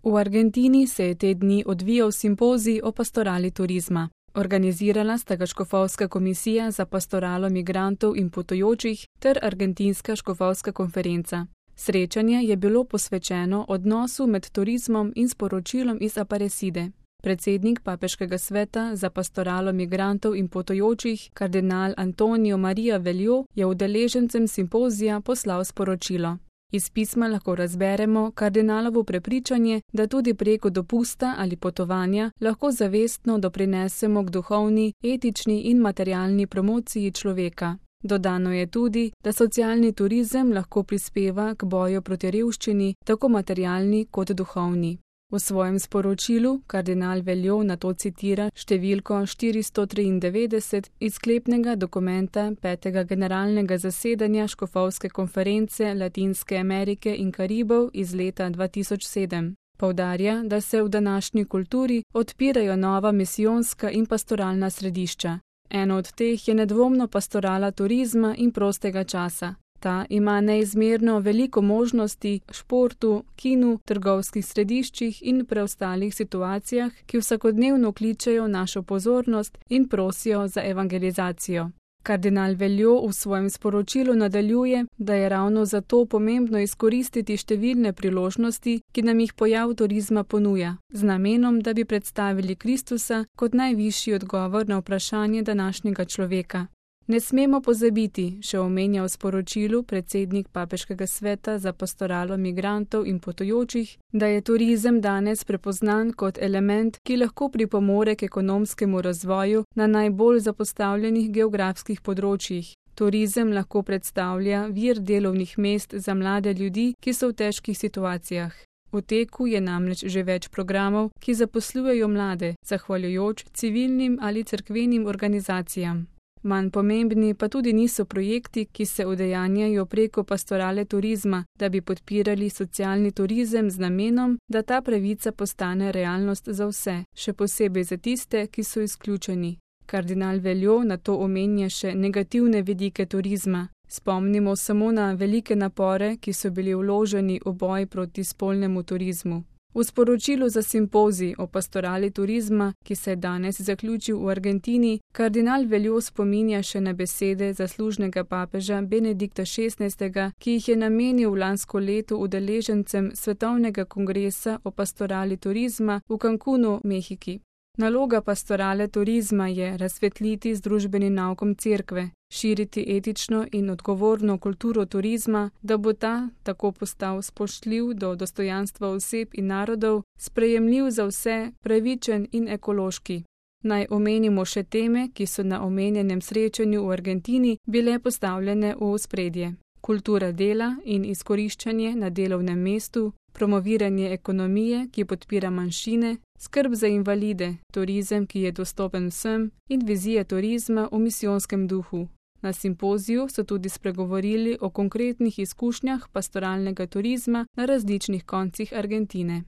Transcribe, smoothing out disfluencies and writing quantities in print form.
V Argentini se je te dni odvijal simpozij o pastorali turizma. Organizirala sta ga Škofovska komisija za pastoralo migrantov in potujočih ter Argentinska škofovska konferenca. Srečanje je bilo posvečeno odnosu med turizmom in sporočilom iz Aparecide. Predsednik Papeškega sveta za pastoralo migrantov in potujočih, kardinal Antonio Maria Veljo, je udeležencem simpozija poslal sporočilo. Iz pisma lahko razberemo kardinalovo prepričanje, da tudi preko dopusta ali potovanja lahko zavestno doprinesemo k duhovni, etični in materialni promociji človeka. Dodano je tudi, da socialni turizem lahko prispeva k boju proti revščini, tako materialni kot duhovni. V svojem sporočilu kardinal Veljo nato citira številko 493 iz sklepnega dokumenta 5. generalnega zasedanja Škofovske konference Latinske Amerike in Karibov iz leta 2007. Poudarja, da se v današnji kulturi odpirajo nova misijonska in pastoralna središča. Eno od teh je nedvomno pastorala turizma in prostega časa. Ta ima neizmerno veliko možnosti v športu, kinu, trgovskih središčih in preostalih situacijah, ki vsakodnevno kličejo našo pozornost in prosijo za evangelizacijo. Kardinal Veljo v svojem sporočilu nadaljuje, da je ravno zato pomembno izkoristiti številne priložnosti, ki nam jih pojav turizma ponuja, z namenom, da bi predstavili Kristusa kot najvišji odgovor na vprašanje današnjega človeka. Ne smemo pozabiti, še omenja v sporočilu predsednik Papeškega sveta za pastoralo migrantov in potujočih, da je turizem danes prepoznan kot element, ki lahko pripomore k ekonomskemu razvoju na najbolj zapostavljenih geografskih področjih. Turizem lahko predstavlja vir delovnih mest za mlade ljudi, ki so v težkih situacijah. V teku je namreč že več programov, ki zaposlujejo mlade, zahvaljujoč civilnim ali cerkvenim organizacijam. Manj pomembni pa tudi niso projekti, ki se udejanjajo preko pastorale turizma, da bi podpirali socialni turizem z namenom, da ta pravica postane realnost za vse, še posebej za tiste, ki so izključeni. Kardinal Veljo nato omenja še negativne vidike turizma. Spomnimo samo na velike napore, ki so bili vloženi v boj proti spolnemu turizmu. V sporočilu za simpozij o pastorali turizma, ki se je danes zaključil v Argentini, kardinal Veljo spominja še na besede zaslužnega papeža Benedikta XVI, ki jih je namenil lansko leto udeležencem Svetovnega kongresa o pastorali turizma v Cancunu, Mehiki. Naloga pastorale turizma je razsvetliti z družbenim naukom cerkve, širiti etično in odgovorno kulturo turizma, da bo ta tako postal spoštljiv do dostojanstva oseb in narodov, sprejemljiv za vse, pravičen in ekološki. Naj omenimo še teme, ki so na omenjenem srečanju v Argentini bile postavljene v ospredje. Kultura dela in izkoriščanje na delovnem mestu, promoviranje ekonomije, ki podpira manjšine, skrb za invalide, turizem, ki je dostopen vsem in vizija turizma v misijonskem duhu. Na simpoziju so tudi spregovorili o konkretnih izkušnjah pastoralnega turizma na različnih koncih Argentine.